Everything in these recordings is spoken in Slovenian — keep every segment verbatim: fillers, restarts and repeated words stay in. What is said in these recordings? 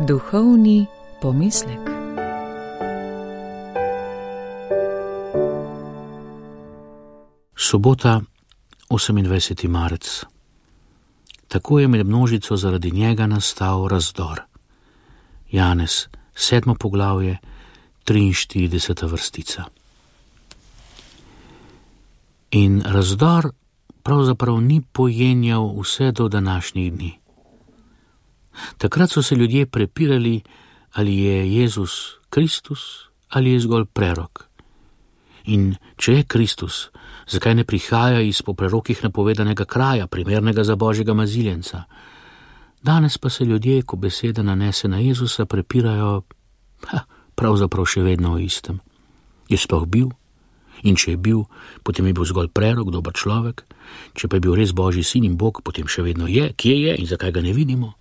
Duhovni pomislek. Sobota, osemindvajseti marec. Tako je med množico zaradi njega nastal razdor. Janez, sedmo poglavje, triinštirideseta vrstica. In razdor pravzaprav ni pojenjal vse do današnjih dni. Takrat so se ljudje prepirali, ali je Jezus Kristus ali je zgolj prerok. In če je Kristus, zakaj ne prihaja iz po prerokih napovedanega kraja, primernega za Božjega maziljenca? Danes pa se ljudje, ko beseda nanese na Jezusa, prepirajo ha, pravzaprav še vedno o istem. Je sploh bil? In če je bil, potem je bil zgolj prerok, dober človek. Če pa je bil res Božji sin in Bog, potem še vedno je. Kje je in zakaj ga ne vidimo?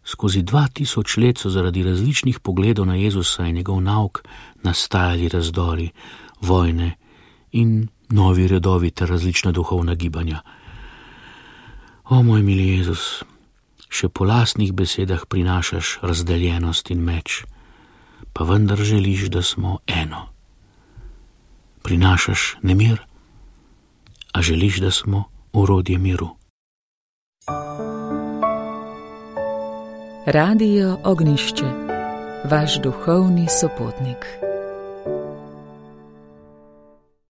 Skozi dva tisoč let so zaradi različnih pogledov na Jezusa in njegov nauk nastajali razdori, vojne in novi redovi ter različna duhovna gibanja. O moj mili Jezus, še po lastnih besedah prinašaš razdeljenost in meč, pa vendar želiš, da smo eno. Prinašaš nemir, a želiš, da smo orodje miru. Radio Ognišče, vaš duhovni sopotnik.